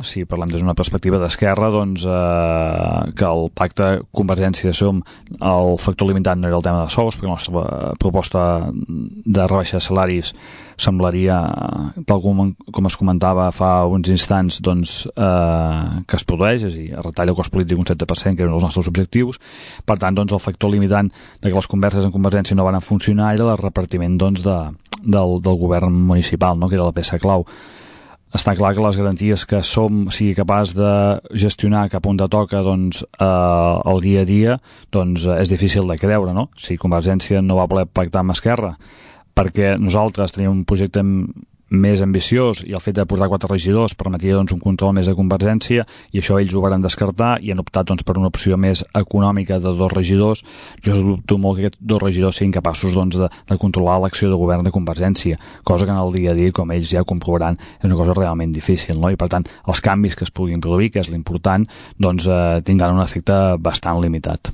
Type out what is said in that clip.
si parlem des d'una perspectiva d'esquerra, doncs que el pacte Convergència-Som, el factor limitant no era el tema de sous, perquè la nostra proposta de rebaixa de salaris semblaria, tal com es comentava fa uns instants, doncs, que es produeix, és a dir, es retalla el cost polític un 7%, que eren els nostres objectius. Per tant, doncs, el factor limitant de que les converses en Convergència no van funcionar era el repartiment, doncs, del govern municipal, no?, que era la peça clau. Està clar que les garanties que Som sigui capaç de gestionar cap on de toca, doncs, el dia a dia, doncs, és difícil de creure, no? Si Convergència no va voler pactar amb Esquerra perquè nosaltres teníem un projecte més ambiciós i el fet de portar 4 regidors permetia, doncs, un control més de Convergència, i això ells ho van descartar i han optat, doncs, per una opció més econòmica de 2 regidors. Jo dubto molt que aquests 2 regidors siguin capaços, doncs, de controlar l'acció de govern de Convergència, cosa que en el dia a dia, com ells ja comprovaran, és una cosa realment difícil, no? I per tant els canvis que es puguin produir, que és l'important, doncs tindran un efecte bastant limitat.